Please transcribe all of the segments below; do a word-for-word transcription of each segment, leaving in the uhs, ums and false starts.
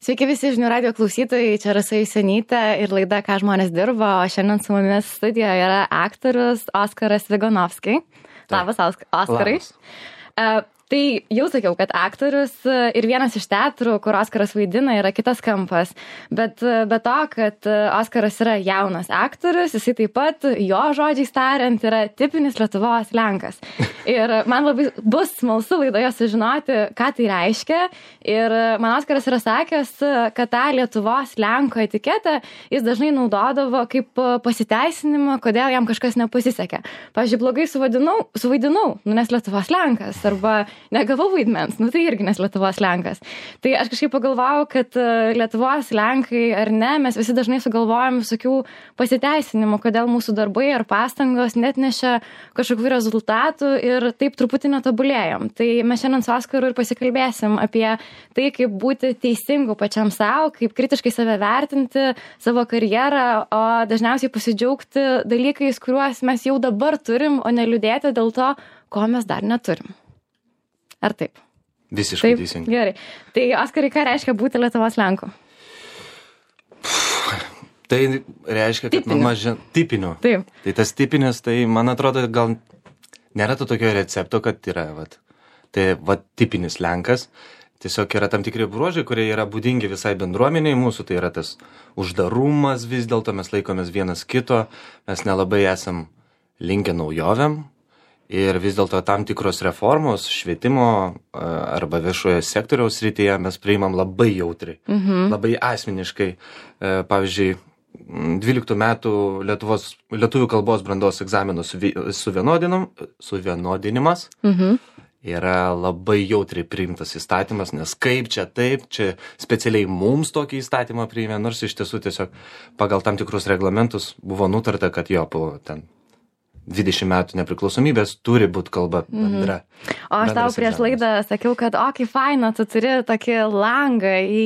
Sveiki visi žinių radijo klausytojai, čia Rasa Jusenytė ir laida Ką žmonės dirba, o šiandien su mumis studijoje yra aktorius Oskaras Viganovski. Labas, Oskarai. Labas. Uh, tai jau sakiau, kad aktorius ir vienas iš teatrų, kur Oskaras vaidina, yra kitas kampas. Bet be to, kad Oskaras yra jaunas aktorius, jisai taip pat, jo žodžiais tariant, yra tipinis Lietuvos lenkas. Ir man labai bus smalsu laidoje sužinoti, ką tai reiškia. Ir man Oskaras yra sakęs, kad tą Lietuvos lenko etiketą jis dažnai naudodavo kaip pasiteisinimą, kodėl jam kažkas nepasisekė. Pavyzdžiui, blogai suvaidinau, suvaidinau, nu nes Lietuvos lenkas, arba negavau vaidmens, nu tai irgi nes Lietuvos lenkas. Tai aš kažkaip pagalvojau, kad Lietuvos lenkai ar ne, mes visi dažnai sugalvojam visokių pasiteisinimų, kodėl mūsų darbai ar pastangos net nešia kažkokių rezultatų ir taip truputį netobulėjom. Tai mes šiandien su Oskaru ir pasikalbėsim apie tai, kaip būti teisingu pačiam savo, kaip kritiškai save vertinti, savo karjerą, o dažniausiai pasidžiaugti dalykais, kuriuos mes jau dabar turim, o neliūdėti dėl to, ko mes dar neturim. Ar taip? Visiškai taip, teisingai. Gerai. Tai, Oskarai, ką reiškia būti Lietuvos lenku? Tai reiškia, kad tipiniu. nuo mažen... Tipiniu. Taip. Tai tas tipinis, tai man atrodo, gal nėra to tokio recepto, kad yra, vat, tai, vat, tipinis lenkas. Tiesiog yra tam tikri bruožai, kurie yra būdingi visai bendruomeniai mūsų, tai yra tas uždarumas vis dėlto, mes laikomės vienas kito, mes nelabai esam linkę naujovėm. Ir vis dėlto tam tikros reformos švietimo arba viešojo sektoriaus srityje mes priimam labai jautriai, mhm. labai asmeniškai. Pavyzdžiui, dvyliktų metų Lietuvos, lietuvių kalbos brandos egzaminų suvienodinimas mhm. yra labai jautriai priimtas įstatymas, nes kaip čia taip, čia specialiai mums tokį įstatymą priėmė, nors iš tiesų tiesiog pagal tam tikrus reglamentus buvo nutarta, kad jo po ten dvidešimt metų nepriklausomybės turi būti kalba bendra. Mhm. O aš tau prieš laidą sakiau, kad o, kaip faina, tu turi tokį langą į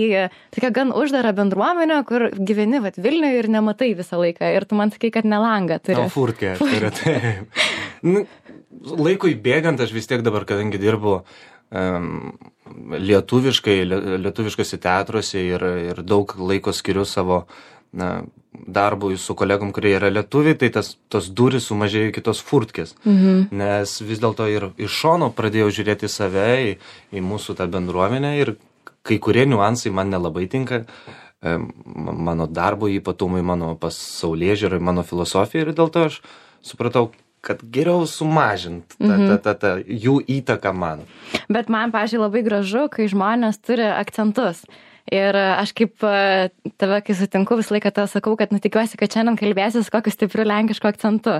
tokią gan uždarą bendruomenę, kur gyveni vat Vilniuje ir nematai visą laiką. Ir tu man sakai, kad ne langą turi. O, furtkę turi, taip. Nu, laikui bėgant, aš vis tiek dabar, kadangi dirbu um, lietuviškai, lietuviškose teatruose ir, ir daug laiko skiriu savo na, darbui su kolegom, kurie yra lietuviai, tai tas, tos durys sumažėjo kitos furtkės. Mhm. Nes vis dėlto ir iš šono pradėjau žiūrėti save, į, į mūsų tą bendruomenę ir kai kurie niuansai man nelabai tinka, mano darbo ypatumai, mano pasaulėžiūrai, mano filosofija ir dėl to aš supratau, kad geriau sumažint tą, mhm. tą, tą, tą jų įtaką man. Bet man, pavyzdžiui, labai gražu, kai žmonės turi akcentus. Ir aš kaip tave, kai sutinku, visą laiką tau sakau, kad nu, tikiuosi, kad šiandien kalbėsi su kokiu stipriu lenkišku akcentu.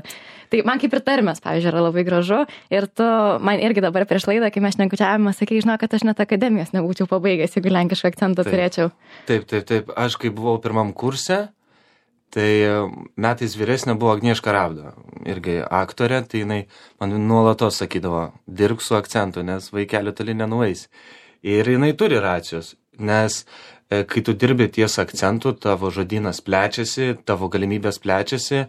Tai man kaip ir tarmės, pavyzdžiui, yra labai gražu. Ir tu man irgi dabar prieš laidą, kai mes šnekučiavome, sakai, žinau, kad aš net akademijos nebūčiau pabaigęs, jeigu lenkišką akcentą taip, turėčiau. Taip, taip, taip. Aš kai buvau pirmam kurse, tai metais vyresnė buvo Agnieška Ravdo, irgi aktorė, tai jinai man nuolatos sakydavo, dirbk su akcentu, nes vaikelį toli nenueis. Ir jinai turi racijos. Nes kai tu dirbi ties akcentu, tavo žodynas plečiasi, tavo galimybės plečiasi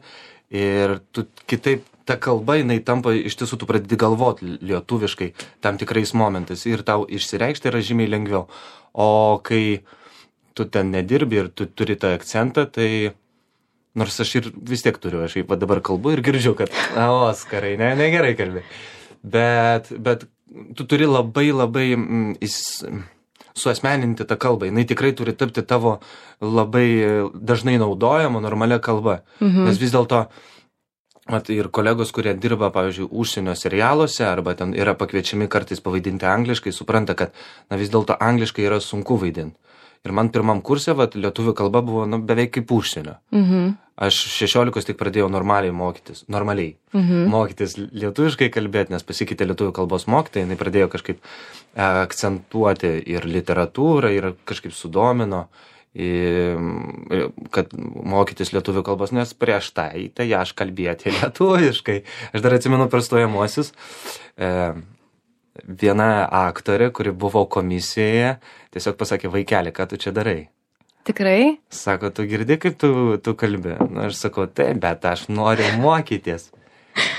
ir tu kitaip, ta kalba, jinai tampa, iš tiesų tu pradedi galvoti lietuviškai tam tikrais momentais ir tau išsireikšti yra žymiai lengviau. O kai tu ten nedirbi ir tu turi tą akcentą, tai nors aš ir vis tiek turiu, aš va dabar kalbu ir girdžiu, kad na, Oskarai, ne, negerai kalbi. Bet, bet tu turi labai labai mm, is, suasmeninti tą kalbą. Jinai tikrai turi tapti tavo labai dažnai naudojama normalia kalba. Mhm. Nes vis dėlto mat, ir kolegos, kurie dirba, pavyzdžiui, užsienio serialuose arba ten yra pakviečiami kartais pavaidinti angliškai, supranta, kad na, vis dėlto angliškai yra sunku vaidinti. Ir man pirmam kurse vat, lietuvių kalba buvo nu, beveik kaip užsienio. Mhm. Aš šešiolikos tik pradėjau normaliai mokytis, normaliai mhm. mokytis lietuviškai kalbėti, nes pasikeitė lietuvių kalbos mokytojai, jinai pradėjo kažkaip akcentuoti ir literatūrą, ir kažkaip sudomino, kad mokytis lietuvių kalbos, nes prieš tai, tai aš kalbėti lietuviškai. Aš dar atsimenu per stojamuosius, viena aktorė, kuri buvo komisijoje, tiesiog pasakė, vaikeli, ką tu čia darai? Tikrai? Sako, tu girdi, kaip tu, tu kalbi? Na, aš sakau, taip, bet aš noriu mokytis.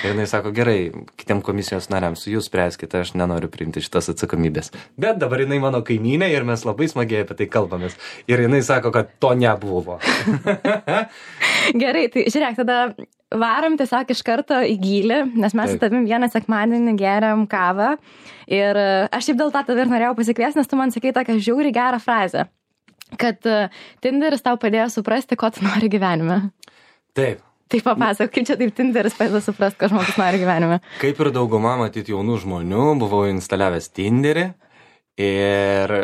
Ir jinai sako, gerai, kitiem komisijos nariams, jūs spręskite, aš nenoriu priimti šitas atsakomybės. Bet dabar jinai mano kaimynė ir mes labai smagiai apie tai kalbamės. Ir jinai sako, kad to nebuvo. Gerai, tai žiūrėk, tada varom tiesiog iš karto į gylį, nes mes su tavim vieną sekmadienį geriam kavą. Ir aš šiaip dėl to tave ir norėjau pasikviesti, nes tu man sakai tokią žiauriai gerą frazę, kad Tinderis tau padėjo suprasti, ko tu nori gyvenime. Taip. Tai papasakok, kaip čia taip Tinderis padeda suprasti, ko žmogus nori gyvenime. Kaip ir dauguma matyti jaunų žmonių, buvau instaliavęs Tinderį ir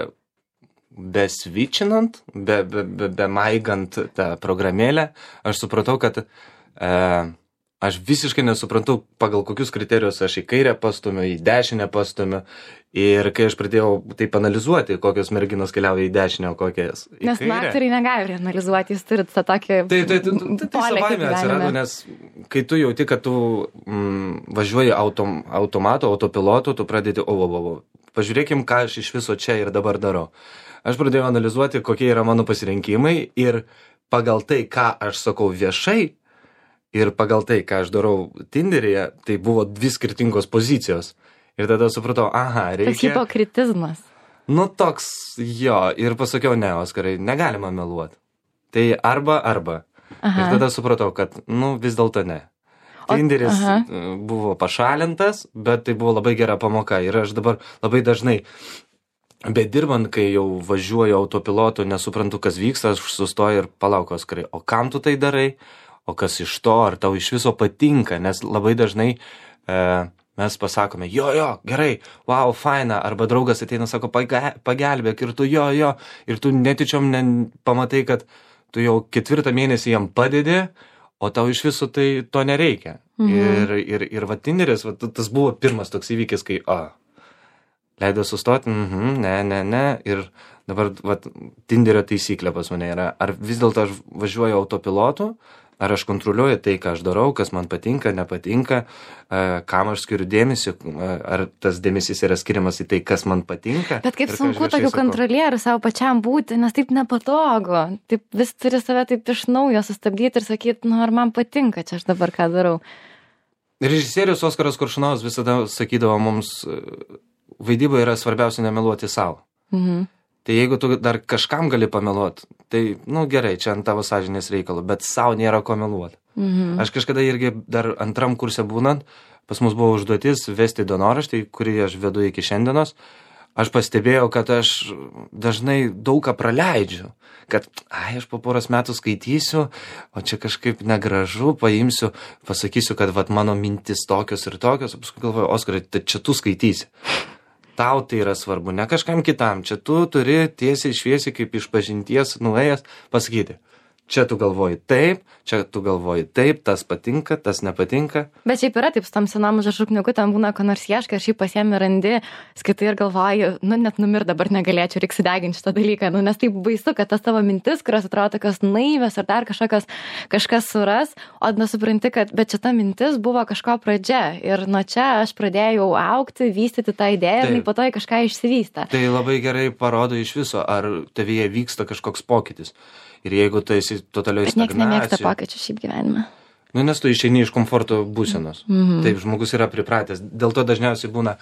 besvičinant, be, be, be, be maigant tą programėlę, aš supratau, kad e, aš visiškai nesuprantu, pagal kokius kriterijus aš į kairę pastumiu, į dešinę pastumiu. Ir kai aš pradėjau taip analizuoti, kokios merginos keliauja į dešinę, o kokias į nes kairę. Nes aktoriai negali analizuoti, jūs turit tą tokį Tai, tai, tai, tai, tai savaime atsirado, nes kai tu jauti, kad tu mm, važiuoji autom, automatu, autopilotu, tu pradedi, o, o, o, o, pažiūrėkim, ką aš iš viso čia ir dabar darau. Aš pradėjau analizuoti, kokie yra mano pasirinkimai ir pagal tai, ką aš sakau viešai ir pagal tai, ką aš darau Tinderyje, tai buvo dvi skirtingos pozicijos. Ir tada supratau, aha, reikia... Tas hipokritizmas. Nu, toks, jo, ir pasakiau, ne, Oskarai, negalima meluoti. Tai arba, arba. Aha. Ir tada supratau, kad, nu, vis dėlto ne. Tinderis aha. buvo pašalintas, bet tai buvo labai gera pamoka. Ir aš dabar labai dažnai, bet dirbant, kai jau važiuoju autopilotu, nesuprantu, kas vyksta, aš sustoju ir palauk, Oskarai, o kam tu tai darai? O kas iš to, ar tau iš viso patinka? Nes labai dažnai... E, mes pasakome, jo, jo, gerai, wow, faina, arba draugas ateina, sako, pagelbėk, ir tu jo, jo, ir tu netyčiom ne, pamatai, kad tu jau ketvirtą mėnesį jam padedi, o tau iš viso tai to nereikia. Mhm. Ir, ir, ir va, Tinderis, va, tas buvo pirmas toks įvykis, kai, a, leido sustoti, mhm, ne, ne, ne, ir dabar, va, Tinderio taisyklė pas mane yra, ar vis dėlto aš važiuoju autopilotu, ar aš kontroliuoju tai, ką aš darau, kas man patinka, nepatinka, kam aš skiriu dėmesį, ar tas dėmesys yra skiriamas į tai, kas man patinka. Bet kaip sunku tokiu kontrolieriu savo pačiam būti, nes taip nepatogu. Taip vis turi save taip iš naujo sustabdyti ir sakyti, nu ar man patinka čia aš dabar ką darau. Režisierius Oskaras Koršunovas visada sakydavo mums, vaidyba yra svarbiausia nemeluoti savo. Mhm. Tai jeigu tu dar kažkam gali pameluoti, tai, nu gerai, čia ant tavo sąžinės reikalų, bet savo nėra ko meluoti. Mhm. Aš kažkada irgi dar antram kurse būnant, pas mus buvo užduotis vesti dienoraštį, kurį aš vedu iki šiandienos. Aš pastebėjau, kad aš dažnai daug ką praleidžiu. Kad, ai, aš po poros metų skaitysiu, o čia kažkaip negražu, paimsiu, pasakysiu, kad vat mano mintis tokios ir tokios, o paskui galvoju, Oskarai, tai čia tu skaitysi. Tau tai yra svarbu, ne kažkam kitam. Čia tu turi tiesiai šviesiai kaip iš pažinties nuėjęs pasakyti. Čia tu galvoji taip, čia tu galvoji taip, tas patinka, tas nepatinka. Bet šiaip yra taip, su tam senom žašukniuku ten būna, ko nors ieškai, ir šiaip pasiemi randi, skaitai ir galvoji, nu net numir dabar negalėčiau, reikia sudeginti šitą dalyką, nu nes taip baisu, kad tas tavo mintis, kurios atrodo tokios naivios ar dar kažkokios, kažkas suras, o nesupranti, kad bet šita mintis buvo kažko pradžia ir nuo čia aš pradėjau augti, vystyti tą idėją ir po to į kažką išsivystą. Tai labai gerai parodo iš viso, ar tavyje vyksta kažkoks pokytis. Ir jeigu tu esi totalioj stagnacijoj... Bet nieks nemėgsta pokyčių šiaip gyvenime. Nu, nes tu išeini iš komforto būsenos. Mm-hmm. Taip, žmogus yra pripratęs. Dėl to dažniausiai būna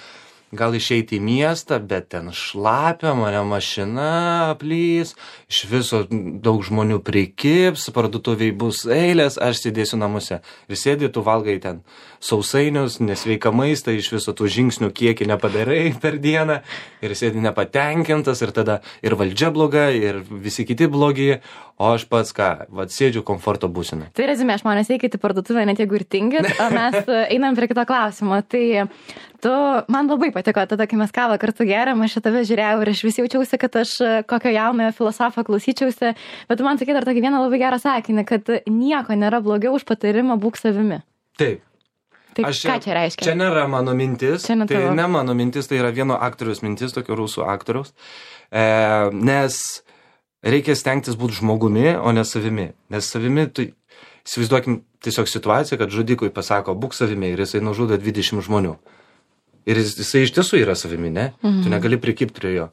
gal išeiti į miestą, bet ten šlapia, mane mašina aplys, iš viso daug žmonių prikibs, parduotuviai bus eilės, aš sėdėsiu namuose. Ir sėdi, tu valgai ten sausainius, nesveiką maistą, iš viso tų žingsnių kiekį nepadarai per dieną ir sėdi nepatenkintas ir tada ir valdžia bloga, ir visi kiti blogi, o aš pats ką, vat sėdžiu komforto būsenoj. Tai rezime, žmonės eikit į parduotuvę, net jeigu ir tingit, o mes einam prie kito klausimo. Tai tu, man labai patiko tada, kai mes kavą kartu geriam, aš tave žiūrėjau ir aš vis jaučiausi, kad aš kokio jaunojo filosofo klausyčiausi, bet tu man sakai dar tokį vieną labai gerą sakinį, kad nieko nėra blogiau už patarimą būk savimi. Taip. Tai aš, ką čia reiškia? Čia nėra mano mintis, ne tai ne mano mintis, tai yra vieno aktoriaus mintis, tokio rusų aktoriaus, e, nes reikia stengtis būti žmogumi, o ne savimi. Nes savimi, tu įsivaizduokim tiesiog situaciją, kad žudikui pasako, būk savimi ir jisai nužudo dvidešimt žmonių. Ir jis, jisai iš tiesų yra savimi, ne? Mhm. Tu negali prikibti prie jo.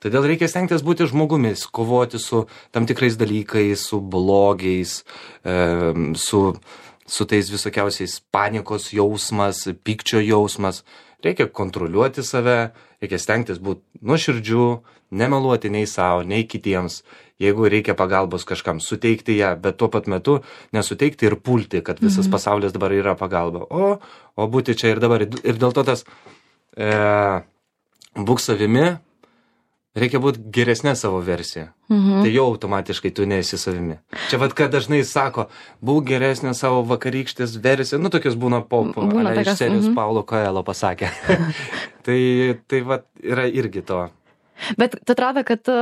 Todėl reikia stengtis būti žmogumis, kovoti su tam tikrais dalykais, su blogiais, e, su su tais visokiausiais panikos jausmas, pykčio jausmas. Reikia kontroliuoti save, reikia stengtis būti nuoširdžių, nemeluoti nei savo, nei kitiems. Jeigu reikia pagalbos kažkam, suteikti ją, bet tuo pat metu nesuteikti ir pulti, kad visas mhm. pasaulis dabar yra pagalba. O, o būti čia ir dabar. Ir dėl to tas e, būk savimi, reikia būti geresnė savo versija. Mhm. Tai jau automatiškai tu nesi savimi. Čia vad, kad dažnai sako, būk geresnė savo vakarykštės versija. Nu, tokios būna po, po būna iš serijos mhm. Paulo Coelho pasakė. tai tai vad, yra irgi to. Bet tu atrodo, kad tu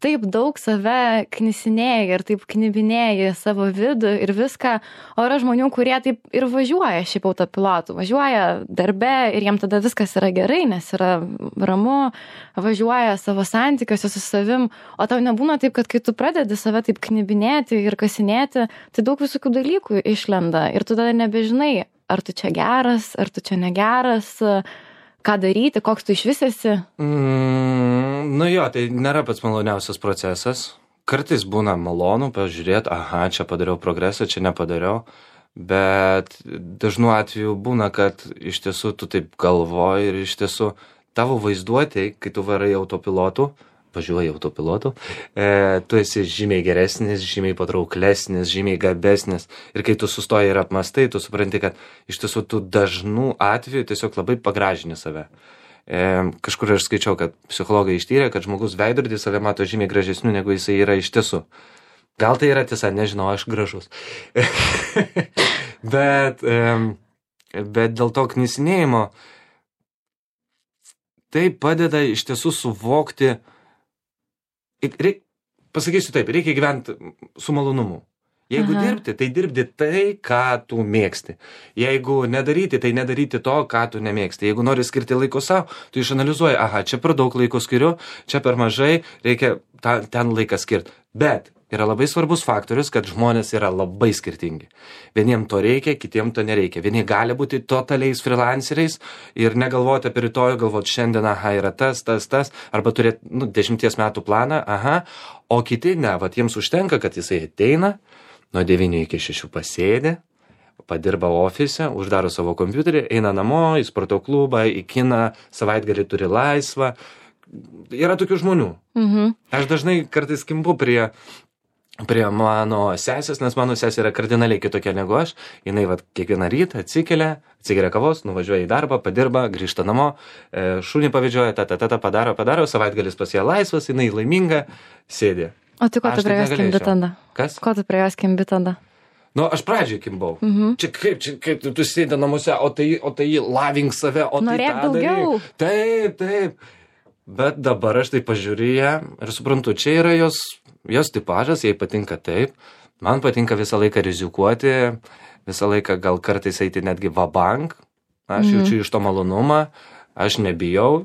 taip daug save knisinėjai ir taip knibinėjai savo vidų ir viską, o yra žmonių, kurie taip ir važiuoja šiaip autopilotu, važiuoja darbe ir jiem tada viskas yra gerai, nes yra ramu, važiuoja savo santykiuose su savim, o tau nebūna taip, kad kai tu pradedi save taip knibinėti ir kasinėti, tai daug visokių dalykų išlenda ir tu tada nebežinai, ar tu čia geras, ar tu čia negeras, ką daryti, koks tu iš vis esi? Mm, nu jo, tai nėra pats maloniausias procesas. Kartais būna malonu pažiūrėti, aha, čia padariau progresą, čia nepadariau, bet dažnu atveju būna, kad iš tiesų tu taip galvoji ir iš tiesų tavo vaizduotė, kai tu varai autopilotu, važiuoji autopilotu, e, tu esi žymiai geresnis, žymiai patrauklesnis, žymiai gabesnis. Ir kai tu sustoji ir apmastai, tu supranti, kad iš tiesų tu dažnų atveju tiesiog labai pagražini save. E, kažkur aš skaičiau, kad psichologai ištyrė, kad žmogus veidrodį save mato žymiai gražesniu, negu jisai yra iš tiesų. Gal tai yra tiesa, nežinau, aš gražus. bet, e, bet dėl to knisinėjimo tai padeda iš tiesų suvokti. Reik, pasakysiu taip, reikia gyventi su malonumu. Jeigu Aha. dirbti, tai dirbti tai, ką tu mėgsti. Jeigu nedaryti, tai nedaryti to, ką tu nemėgsti. Jeigu nori skirti laiko savo, tu išanalizuoji, aha, čia per daug laiko skiriu, čia per mažai, reikia ta, ten laiką skirti. Bet yra labai svarbus faktorius, kad žmonės yra labai skirtingi. Vieniem to reikia, kitiem to nereikia. Vieni gali būti totaliais freelanceriais ir negalvoti apie rytojų, galvoti šiandien, aha, yra tas, tas, tas, arba turėti nu, dešimties metų planą, aha, o kiti ne, vat jiems užtenka, kad jisai ateina, nuo devynių iki šešių pasėdi, padirba ofise, uždaro savo kompiuterį, eina namo, į sporto klubą, į kiną, savaitgalį turi laisvą. Yra tokių žmonių. Mhm. Aš dažnai kartais kimbu prie prie mano sesės, nes mano sesė yra kardinaliai kitokia negu aš. Jinai vat kiekvieną rytą atsikelia, atsigeria kavos, nuvažiuoja į darbą, padirba, grįžta namo, e, šunį pavedžioja, ta, ta, ta, ta, padaro, padaro, savaitgalis pas ją laisvas, jinai laiminga, sėdi. O tu ko tu prie jos kimbi tada? Kas? Ko tu prie jos kimbi tada? Nu, aš pradžiai kimbau. Mhm. Čia kaip, čia kaip tu, tu sėdi namuose, o tai, o tai lavink save, o Norėk tai tą daugiau. daryk. Taip, taip. Bet dabar aš tai pažiūriu ją ir suprantu, čia yra jos, jos tipažas, jai patinka taip. Man patinka visą laiką rizikuoti, visą laiką gal kartais eiti netgi vabank. Aš mm. jaučiu iš to malonumą, aš nebijau.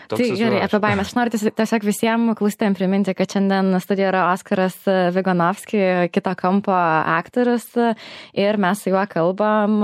Toks tai gerai, apie baimės. Aš noriu tiesiog visiems klausytojams priminti, kad šiandien studijoje yra Oskaras Viganovski, kito kampo aktorius, ir mes su juo kalbam,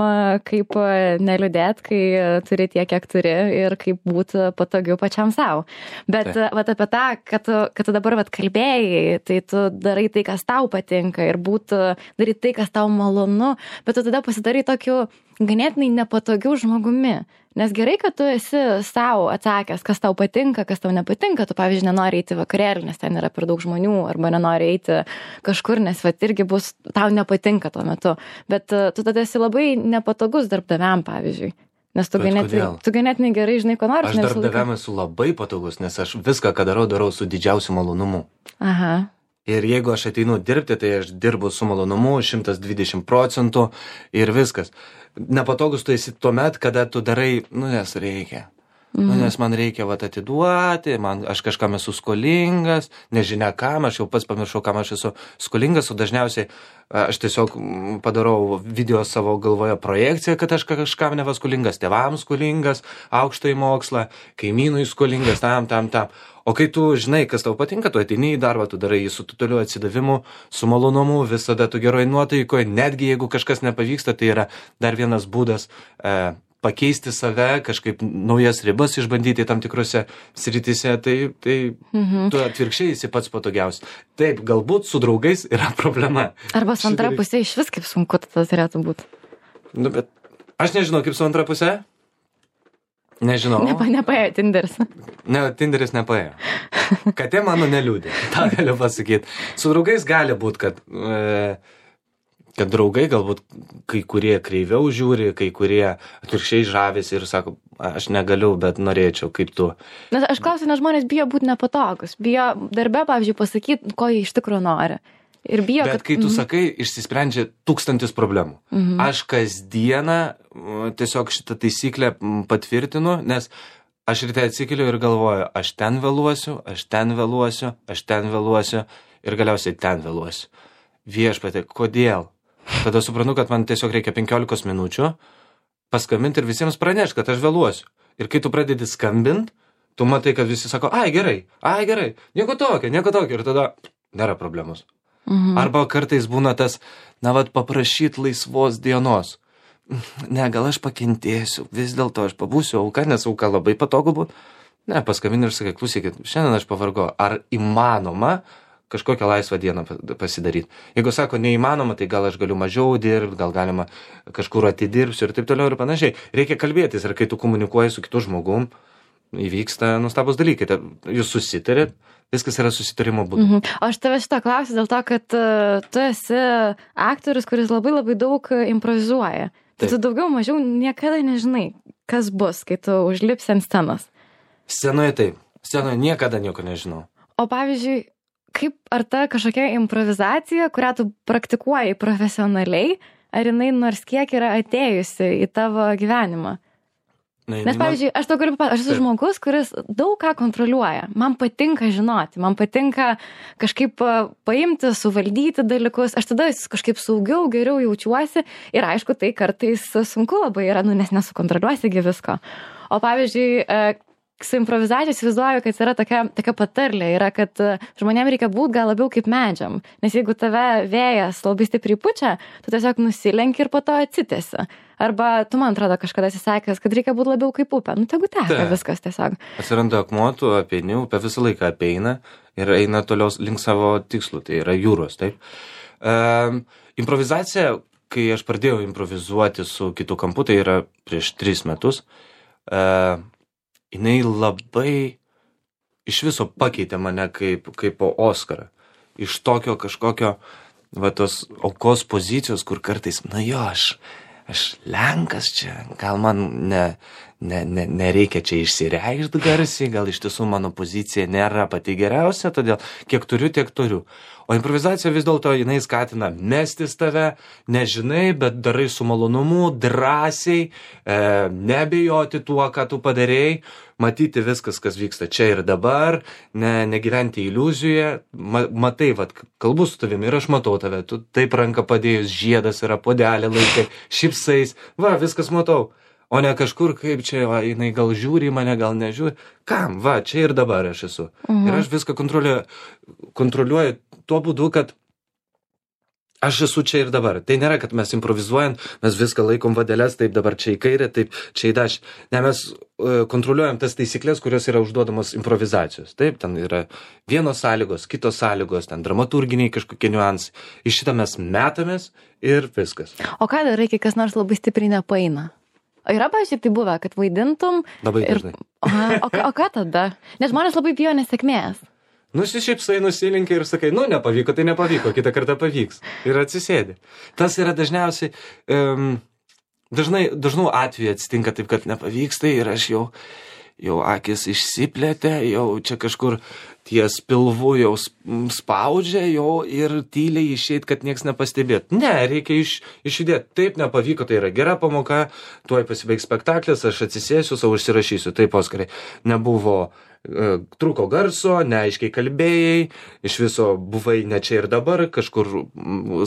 kaip neliūdėt, kai turi tiek, kiek turi, ir kaip būti patogiau pačiam savo. Bet tai. vat, apie tą, kad tu, kad tu dabar vat, kalbėjai, tai tu darai tai, kas tau patinka, ir būtų daryti tai, kas tau malonu, bet tu tada pasidarai tokiu ganėtinai nepatogiu žmogumi. Nes gerai, kad tu esi savo atsakęs, kas tau patinka, kas tau nepatinka. Tu, pavyzdžiui, nenori eiti vakarėlį, nes ten yra per daug žmonių, arba nenori eiti kažkur, nes vat, irgi bus, tau nepatinka tuo metu. Bet uh, tu tada esi labai nepatogus darbdaviam, pavyzdžiui. Nes tu ganėtinai, tu ganėtinai gerai žinai, ko nori. Aš darbdaviam esu labai patogus, nes aš viską, ką darau, darau su didžiausiu malonumu. Aha. Ir jeigu aš ateinu dirbti, tai aš dirbu su malonumu, šimtas dvidešimt procentų ir viskas. Nepatogus tu esi tuomet, kada tu darai, nu nes reikia. Mm. Nu nes man reikia vat atiduoti, man, aš kažkam esu skolingas, nežinia kam, aš jau pats pamiršau, kam aš esu skolingas, o dažniausiai aš tiesiog padarau video savo galvoje projekciją, kad aš kažkam neva skolingas, tėvams skolingas, aukštąjį mokslą, kaimynui skolingas, tam, tam, tam. O kai tu žinai, kas tau patinka, tu ateini į darbą, tu darai jį su totaliu atsidavimu, su malonumu, visada tu geroj nuotaikoje, netgi jeigu kažkas nepavyksta, tai yra dar vienas būdas e, pakeisti save, kažkaip naujas ribas išbandyti tam tikrose srityse, tai, tai mhm. tu atvirkščiai esi pats patogiausias. Taip, galbūt su draugais yra problema. Arba su antra pusė iš vis kaip sunku tas turėtų būti. Nu, bet aš nežinau, kaip su antra pusė. Nežinau. Nepa, nepaėjo Tinderis. Ne, Tinderis nepaėjo. Katė mano neliūdė, tą galiu pasakyti. Su draugais gali būti, kad, e, kad draugai galbūt kai kurie kreiviau žiūri, kai kurie atvirkščiai žavisi ir sako, aš negaliu, bet norėčiau, kaip tu. Nes aš klausiu, nes žmonės bijo būti nepatogus. Bijo darbe, pavyzdžiui, pasakyti, ko jie iš tikrųjų nori. Ir bijo, bet kad... kai tu sakai, išsisprendžia tūkstantis problemų. Mhm. Aš kasdieną tiesiog šitą taisyklę patvirtinu, nes aš ryte atsikeliu ir galvoju, aš ten vėluosiu, aš ten vėluosiu, aš ten vėluosiu ir galiausiai ten vėluosiu. Viešpatie, kodėl? Tada suprantu, kad man tiesiog reikia penkiolikos minučių paskambinti ir visiems pranešti, kad aš vėluosiu. Ir kai tu pradedi skambinti, tu matai, kad visi sako, ai gerai, ai gerai, nieko tokio, nieko tokio ir tada nėra problemos. Mhm. Arba kartais būna tas, na, vat, paprašyt laisvos dienos. Ne, gal aš pakentėsiu, vis dėlto aš pabūsiu auka, nes auka labai patogu būt. Ne, paskambini ir sakai, klausykit, šiandien aš pavargo, ar įmanoma kažkokią laisvą dieną pasidaryti. Jeigu sako, neįmanoma, tai gal aš galiu mažiau dirbti, gal galima kažkur atidirbsiu ir taip toliau ir panašiai. Reikia kalbėtis ir kai tu komunikuoji su kitu žmogum, įvyksta nustabus dalykai. Jūs susitarėt, viskas yra susitarimo būdu. Mhm. Aš tave šitą klausiu dėl to, kad uh, tu esi aktorius, kuris labai labai daug improvizuoja. Tai tu daugiau mažiau niekada nežinai, kas bus, kai tu užlipsi ant scenos. Scenoje taip. Scenoje niekada nieko nežinau. O pavyzdžiui, kaip ar ta kažkokia improvizacija, kurią tu praktikuoji profesionaliai, ar jinai nors kiek yra atėjusi į tavo gyvenimą? Na, Nes, pavyzdžiui, aš to galiu papasakoti, aš esu žmogus, kuris daug ką kontroliuoja. Man patinka žinoti, man patinka kažkaip paimti, suvaldyti dalykus. Aš tada kažkaip saugiau, geriau jaučiuosi ir aišku, tai kartais sunku labai yra, nu, nes nesukontroliuosigi visko. O pavyzdžiui, su improvizacija įsivaizduoju, kad yra tokia, tokia patarlė, yra, kad žmonėm reikia būti gal labiau kaip medžiam. Nes jeigu tave vėjas labai stipriai pučia, tu tiesiog nusilenki ir po to atsitesi. Arba tu, man atrodo, kažkada esi sakęs, kad reikia būti labiau kaip upė. Nu, tegu teka viskas tiesiog. Atsiranda akmuo, tu apeini, upė visą laiką apeina ir eina toliau link savo tikslų, tai yra jūros, taip. Um, improvizacija, kai aš pradėjau improvizuoti su kitu kampu, tai yra prieš tris metus, uh, jinai labai iš viso pakeitė mane kaip, kaip po Oskarą. Iš tokio kažkokio, va, tos aukos pozicijos, kur kartais, na jo, aš, aš Lenkas čia, gal man ne, ne, ne, nereikia čia išsireikšti garsiai, gal iš tiesų mano pozicija nėra pati geriausia, todėl kiek turiu, tiek turiu. O improvizacija vis dėlto jinai skatina mestis tave, nežinai, bet darai su malonumu, drąsiai, e, nebijoti tuo, ką tu padarėjai, matyti viskas, kas vyksta čia ir dabar, ne, negyventi iliuzijoje, ma, matai, vat, kalbu su tavimi ir aš matau tave, tu taip ranką padėjus, žiedas yra, podelė laikai, šipsais, va, viskas matau. O ne kažkur, kaip čia, va, jinai gal žiūri į mane, gal nežiūri. Kam? Va, čia ir dabar aš esu. Mhm. Ir aš viską kontroliuoju, kontroliuoju tuo būdu, kad aš esu čia ir dabar. Tai nėra, kad mes improvizuojant, mes viską laikom vadelės, taip dabar čia į kairę, taip čia į dešinę. Ne, mes uh, kontroliuojam tas taisyklės, kurios yra užduodamos improvizacijos. Taip, ten yra vienos sąlygos, kitos sąlygos, ten dramaturginiai kažkokie niuansai. Iš šitą mes metamės ir viskas. O ką darai, kai kas nors labai stipriai nepaeina? O yra, pavyzdžiui, tai buvę, kad vaidintum... Labai ir... dažnai. Aha, o, o ką tada? Nes žmonės labai bijo nesėkmės. Nusišypsai, nusilinkai ir sakai, nu, nepavyko, tai nepavyko, kitą kartą pavyks. Ir atsisėdi. Tas yra dažniausiai... Um, dažnai, dažnų atveju atsitinka taip, kad nepavyksta ir aš jau... jau akis išsiplėtė, jau čia kažkur ties pilvu jau spaudžia, jau ir tyliai išeit, kad nieks nepastebėt. Ne, reikia iš, išjudėti. Taip, nepavyko, tai yra gera pamoka, tuoj pasibaigs spektaklis, aš atsisėsiu, savo užsirašysiu. Taip, Oskarai, nebuvo, e, truko garso, neaiškiai kalbėjai, iš viso buvai ne čia ir dabar, kažkur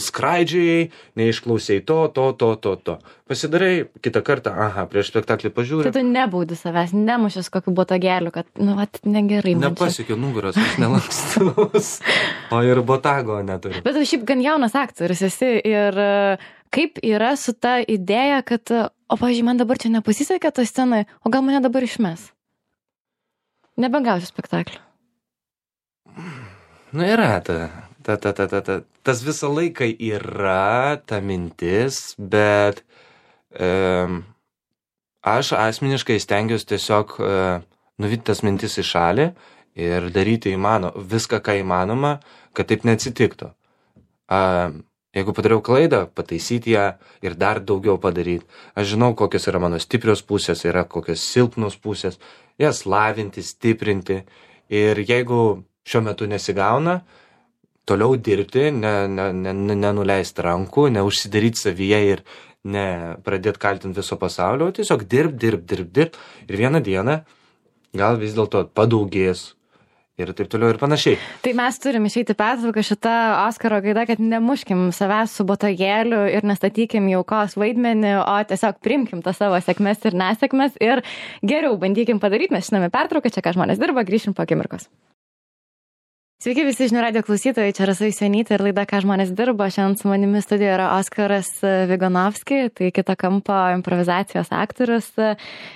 skraidžiai, neišklausėjai to, to, to, to, to. Pasidarai, kitą kartą, aha, prieš spektaklį pažiūrė. Tai tu nebaudi savęs, nemušęs kokiu botagėliu, kad, nu, vat, negerai. Nepasiekiu nugaros, aš nelankstus, o ir botago neturiu. Bet tu šiaip gan jaunas aktorius esi ir kaip yra su ta idėja, kad, o, pavyzdžiui, man dabar čia nepasisekė toj scenai, o gal mane dabar išmes? Nebegausiu spektaklį. Nu, yra ta, ta, ta, ta, ta, ta. Tas visą laiką yra ta mintis, bet e, aš asmeniškai stengiuosi tiesiog e, nuvyti tas mintis į šalį ir daryti įmano, viską, ką įmanoma, kad taip neatsitiktų. A, jeigu padariau klaidą, pataisyti ją ir dar daugiau padaryti. Aš žinau, kokios yra mano stiprios pusės, yra kokios silpnos pusės, jas lavinti, stiprinti. Ir jeigu šiuo metu nesigauna, toliau dirbti, ne, ne, ne, nenuleisti rankų, neužsidaryti savyje ir ne pradėti kaltinti viso pasaulio, tiesiog dirb, dirb, dirb, dirb. Ir vieną dieną gal vis dėlto padaugės. Ir taip toliau ir panašiai. Tai mes turim išeiti pertrauką šitą Oskaro gaida, kad nemuškim savęs su botagėliu ir nestatykim jaukos vaidmenį, o tiesiog priimkim tas savo sėkmes ir nesėkmes ir geriau bandykim padaryti. Mes žinome pertrauką, čia ką žmonės dirba, grįšim po akimirkos. Sveiki visi žinių radijo klausytojai, čia Rasa Jusionytė ir laida Ką žmonės dirba. Šiandien su manimi studijoje yra Oskaras Vigonovski, tai kito kampo improvizacijos aktorius.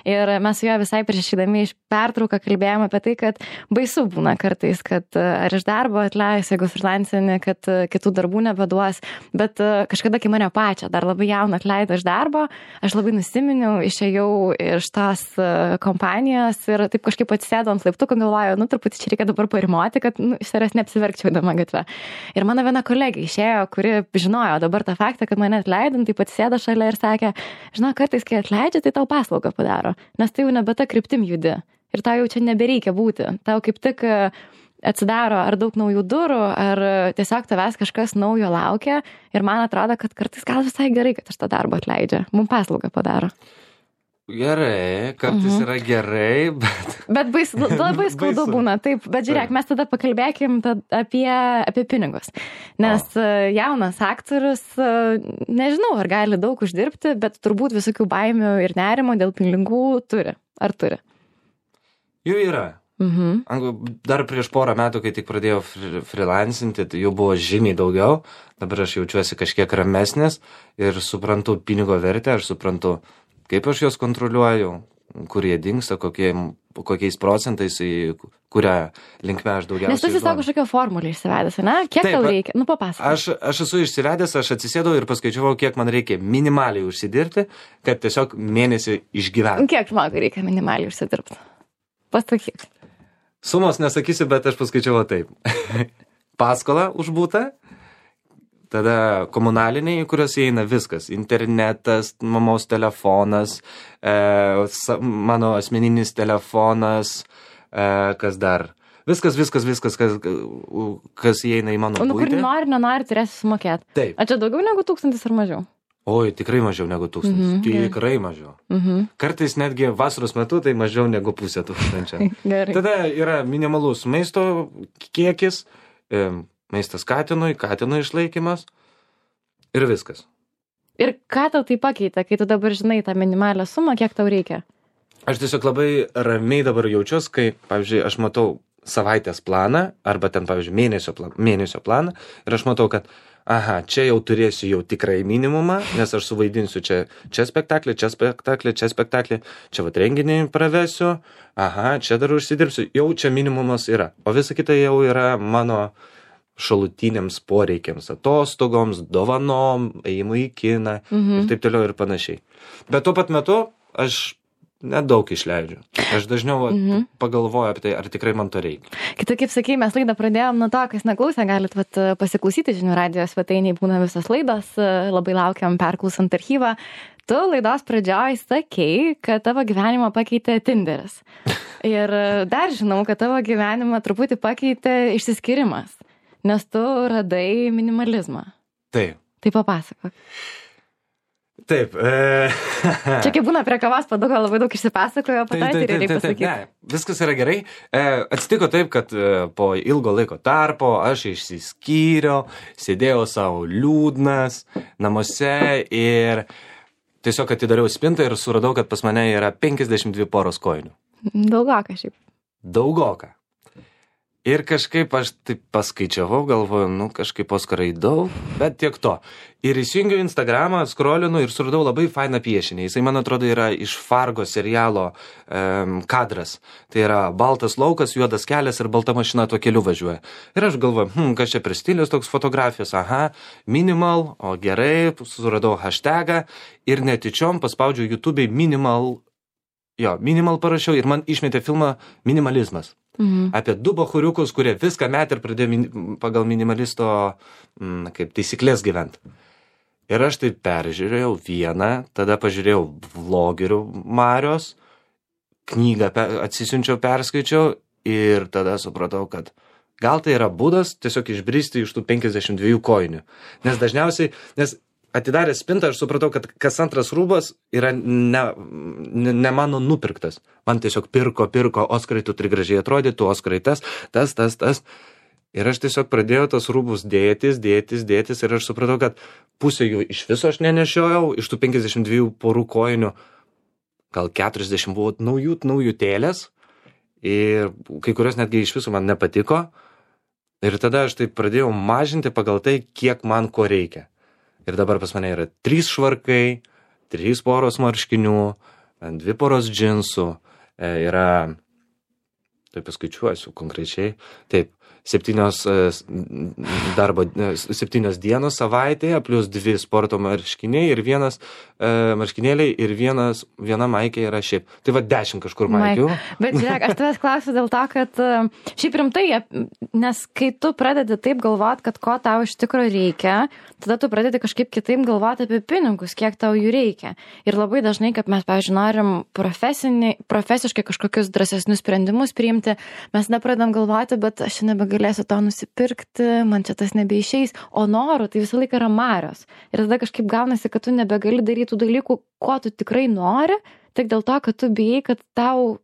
Ir mes su juo visai prieš išeidami iš pertrauką kalbėjome apie tai, kad baisu būna kartais, kad ar iš darbo atleis, jeigu freelancinį, kad kitų darbų nebeduos. Bet kažkada, kai mane pačią dar labai jauną atleido iš darbo, aš labai nusiminiau, išėjau iš tos kompanijos ir taip kažkaip atsisėdau ant laiptukų, galvoju, nu truputį čia reikia dabar parimoti, kad nu, iš savęs neapsiverkčiau dama gatve. Ir mano viena kolegė išėjo, kuri žinojo dabar tą faktą, kad mane atleidom, taip atsisėdo šalia ir sakė, žinau, kartais, kai atleidžia, tai tau paslaugą padaro, nes tai jau nebe ta kryptim judi ir tau jau čia nebereikia būti. Tau kaip tik atsidaro ar daug naujų durų, ar tiesiog tavęs kažkas naujo laukia ir man atrodo, kad kartais gal visai gerai, kad iš to darbo atleidžia. Mums paslaugą padaro. Gerai, kartais mhm. yra gerai, bet... Bet bais, labai skaudu būna, taip. Bet žiūrėk, mes tada pakalbėkim tada apie, apie pinigus. Nes o. jaunas aktorius, nežinau, ar gali daug uždirbti, bet turbūt visokių baimių ir nerimo dėl pinigų turi. Ar turi? Jų yra. Mhm. Dar prieš porą metų, kai tik pradėjau freelancinti, tai jų buvo žymiai daugiau. Dabar aš jaučiuosi kažkiek ramesnis ir suprantu pinigo vertę, aš suprantu, kaip aš juos kontroliuoju, kur jie dingsta, kokie, kokiais procentais, į kurią linkme aš daugiausiai. Nes tu esi savo kažkokią formulę išsivedęs, ne? Kiek Taip, tau reikia? Nu, papasakok. Aš, aš esu išsivedęs, aš atsisėdau ir paskaičiavau, kiek man reikia minimaliai užsidirbti, kad tiesiog mėnesį išgyventi. Kiek žmogui reikia minimaliai užsidirbti? Pasakyk. Sumos nesakysiu, bet aš paskaičiavau taip. Paskolą už butą. Tada komunaliniai, kurios įeina viskas. Internetas, mamos telefonas, e, mano asmeninis telefonas, e, kas dar. Viskas, viskas, viskas, kas, kas įeina į mano buitį. Nu, kur nori, nenori, turėsi sumokėti. Taip. A čia daugiau negu tūkstantis ar mažiau? Oi, tikrai mažiau negu tūkstantis. Mm-hmm, tikrai gerai. mažiau. Mm-hmm. Kartais netgi vasaros metu tai mažiau negu pusė tūkstančio. Gerai. Tada yra minimalus maisto kiekis, e, maistas katinui, katino išlaikymas ir viskas. Ir ką tau tai pakeitė, kai tu dabar žinai tą minimalią sumą, kiek tau reikia? Aš tiesiog labai ramiai dabar jaučiuosi, kai, pavyzdžiui, aš matau savaitės planą arba ten, pavyzdžiui, mėnesio, plan, mėnesio planą ir aš matau, kad aha, čia jau turėsiu jau tikrai minimumą, nes aš suvaidinsiu čia, čia spektaklį, čia spektaklį, čia spektaklį, čia vat renginį pravesiu, aha, čia dar užsidirbsiu, jau čia minimumas yra, o visa kita jau yra mano šalutiniams poreikiams, atostogoms, dovanom, ėjimui į kiną mhm. ir taip toliau ir panašiai. Bet tuo pat metu aš nedaug išleidžiu. Aš dažniau mhm. pagalvoju apie tai, ar tikrai man to reikia. Kita, kaip sakei, mes laidą pradėjom nuo to, kas neklausė, galit vat, pasiklausyti žinių radijo svetainėje, būna visos laidos, labai laukiam perklausant archyvą. Tu laidos pradžioj sakei, kad tavo gyvenimą pakeitė Tinderis. Ir dar žinau, kad tavo gyvenimą truputį pakeitė išsiskyrimas. Nes tu radai minimalizmą. Taip. Tai papasakok. Taip. E... Čia kaip būna prie kavos paduko labai daug išsipasakojo, po to ir reikia pasakyti. Ne, viskas yra gerai. E, atsitiko taip, kad e, po ilgo laiko tarpo aš išsiskyriau, sėdėjau savo liūdnas namuose ir tiesiog atidariau spintą ir suradau, kad pas mane yra penkiasdešimt dvi poros kojinių. Daugoka šiaip. Daugoka. Ir kažkaip aš taip paskaičiavau, galvoju, nu kažkaip Oskarai daug, bet tiek to. Ir įsijungiau Instagramą, skrolinu ir suradau labai fainą piešinį. Jisai, man atrodo, yra iš Fargo serialo um, kadras. Tai yra baltas laukas, juodas kelias ir balta mašina tuo keliu važiuoja. Ir aš galvoju, hm, kas čia per stilius toks fotografijos, aha, minimal, o gerai, suradau hashtagą ir netyčiom paspaudžiau YouTube'ai minimal, jo, minimal parašiau ir man išmetė filmą Minimalizmas. Mhm. Apie du bachuriukus, kurie viską met ir pradėjo min, pagal minimalisto m, kaip taisyklės gyventi. Ir aš tai peržiūrėjau vieną, tada pažiūrėjau vlogerių Marios, knygą pe, atsisiunčiau, perskaičiau ir tada supratau, kad gal tai yra būdas tiesiog išbristi iš tų penkiasdešimt dviejų kojinių. Nes dažniausiai, nes atidaręs spintą, aš supratau, kad kas antras rūbas yra ne, ne, ne mano nupirktas. Man tiesiog pirko, pirko, Oskarai, tu turi gražiai atrodyti, tu Oskarai tas, tas, tas, tas. Ir aš tiesiog pradėjau tos rūbus dėtis, dėtis, dėtis ir aš supratau, kad pusė jų iš viso aš nenešiojau, iš tų penkiasdešimt dviejų porų kojinių, gal keturiasdešimt buvo naujų, naujų tėlės ir kai kurios netgi iš viso man nepatiko. Ir tada aš tai pradėjau mažinti pagal tai, kiek man ko reikia. Ir dabar pas mane yra trys švarkai, trys poros marškinių, dvi poros džinsų, yra, taip paskaičiuosiu konkrečiai, taip, septynios darbo, septynios dienos savaitėje, plus dvi sporto marškiniai ir vienas e, marškinėliai ir vienas, viena maikė yra šiaip. Tai va dešimt kažkur maikių. Bet žiūrėk, aš tavęs klausiu dėl to, kad šiaip rimtai, nes kai tu pradedi taip galvot, kad ko tau iš tikro reikia, tada tu pradedi kažkaip kitaip galvoti apie pinigus, kiek tau jų reikia. Ir labai dažnai, kad mes, pavyzdžiui, norim profesiškai kažkokius drąsesnius sprendimus priimti, mes nepradedam galvoti, bet aš nebegalėsiu to nusipirkti, man čia tas nebeišeis, o noriu, tai visą laiką yra Marios. Ir tada kažkaip gaunasi, kad tu nebegali daryti tų dalykų, ko tu tikrai nori, tik dėl to, kad tu bijai, kad tau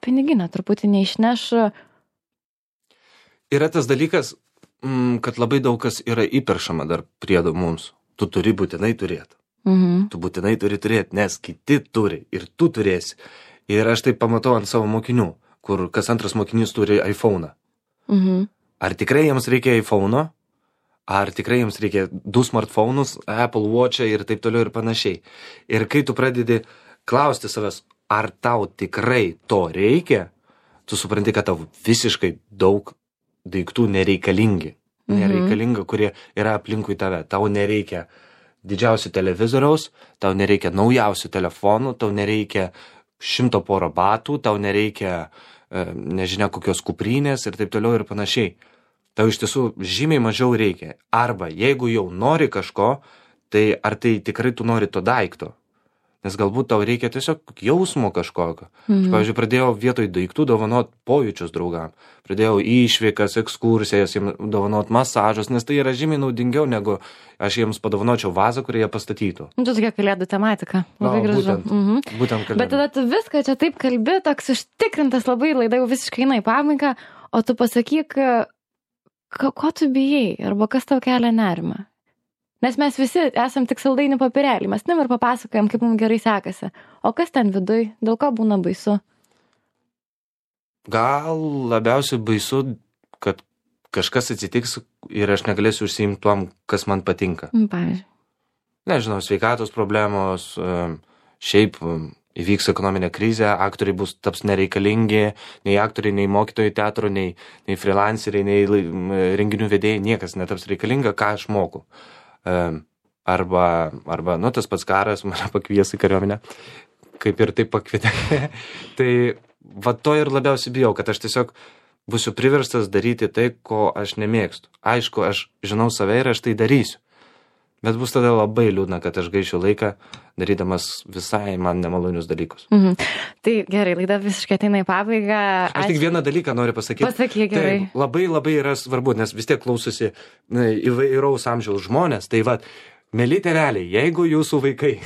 piniginę truputį neišneš. Yra tas dalykas, kad labai daug kas yra įperšama dar priedo mums. Tu turi būtinai turėti. Mhm. Tu būtinai turi turėti, nes kiti turi ir tu turėsi. Ir aš tai pamatau ant savo mokinių, kur kas antras mokinys turi iPhone'ą. Mhm. Ar tikrai jiems reikia iPhone'o? Ar tikrai jiems reikia du smartphone'us, Apple Watch'ą ir taip toliau ir panašiai. Ir kai tu pradedi klausti savęs, ar tau tikrai to reikia, tu supranti, kad tau visiškai daug daiktų nereikalingi. Mhm. Nereikalinga, kurie yra aplinkui tave. Tau nereikia didžiausių televizoriaus, tau nereikia naujausių telefonų, tau nereikia šimto poro batų, tau nereikia, nežinia, kokios kuprinės ir taip toliau ir panašiai. Tau iš tiesų žymiai mažiau reikia. Arba jeigu jau nori kažko, tai ar tai tikrai tu nori to daikto? Nes galbūt tau reikia tiesiog jausmo kažkokio. Mhm. Aš, pavyzdžiui, pradėjau vietoj daiktų dovanot pojūčius draugam. Pradėjau išvykas, ekskursijas, jiems dovanot masažus, nes tai yra žymiai naudingiau, negu aš jiems padovanočiau vazą, kurį jie pastatytų. Tu tokia kalėdų tematika. Labai no, gražu. Būtent, mhm. būtent kalėdų. Bet tada tu viską čia taip kalbi, toks užtikrintas labai, laida jau visiškai eina į pabaigą, o tu pasakyk, ko, ko tu bijai, arba kas tau kelia nerimą. Nes mes visi esam tik saldainių papirėlį, mes nem ir papasakojam, kaip mums gerai sekasi. O kas ten viduj, dėl ko būna baisu? Gal labiausiai baisu, kad kažkas atsitiks ir aš negalėsiu užsiimti tuom, kas man patinka. Pavyzdžiui. Nežinau, sveikatos problemos, šiaip įvyks ekonominė krizė, aktoriai bus taps nereikalingi, nei aktoriai, nei mokytojai teatro, nei, nei freelanceriai, nei renginių vedėjai, niekas netaps reikalinga, ką aš moku. Arba, arba, nu, tas pats karas mane pakvies į kariuomenę, kaip ir taip pakvietė. Tai va to ir labiausiai bijau, kad aš tiesiog būsiu priverstas daryti tai, ko aš nemėgstu. Aišku, aš žinau save ir aš tai darysiu. Bet bus tada labai liūdna, kad aš gaišiu laiką darydamas visai man nemalonius dalykus. Mhm. Tai gerai, laida visiškai ateina į pabaigą. Aš tik vieną dalyką noriu pasakyti. Pasakyk, gerai. Tai labai labai yra svarbu, nes vis tiek klausosi įvairaus amžiaus žmonės. Tai va, Mėly tėveliai, jeigu jūsų vaikai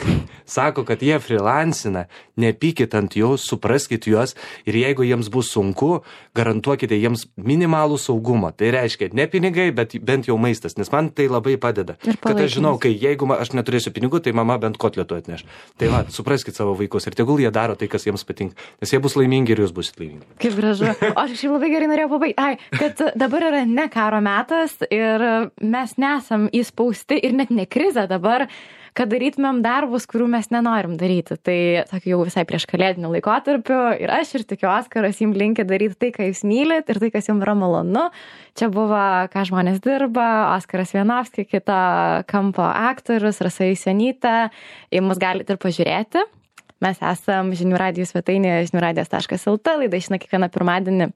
sako, kad jie freelancina, nepykit ant jų, supraskit juos ir jeigu jiems bus sunku, garantuokite jiems minimalų saugumą. Tai reiškia, ne pinigai, bet bent jau maistas, nes man tai labai padeda. Kad aš žinau, kai jeigu aš neturėsiu pinigų, tai mama bent kotletų atneš. Tai va, supraskit savo vaikus ir tegul jie daro tai, kas jiems patinka, nes jie bus laimingi ir jūs busit laimingi. Kaip gražu. O aš šiaip labai gerai norėjau pabaigti. Ai, kad dabar yra ne karo metas ir mes nesam įspausti ir net ne krizė dabar, kad darytumėm darbus, kurių mes nenorim daryti. Tai tokiu jau visai prieš kalėdinių laikotarpių ir aš ir tikiu Oskaras jums linki daryti tai, ką jūs mylit ir tai, kas jums yra malonu. Čia buvo, ką žmonės dirba, Oskaras Vienovski, kita kampo aktorius, Rasa Jusionytė. Į mus galite ir pažiūrėti. Mes esam žinių radijų svetainėje žinių radijas taškas el tė, laida išeina kiekvieną pirmadienį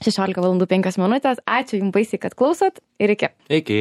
šešiolika valandų penkios minutės. Ačiū jums baisiai, kad klausot ir iki. Iki.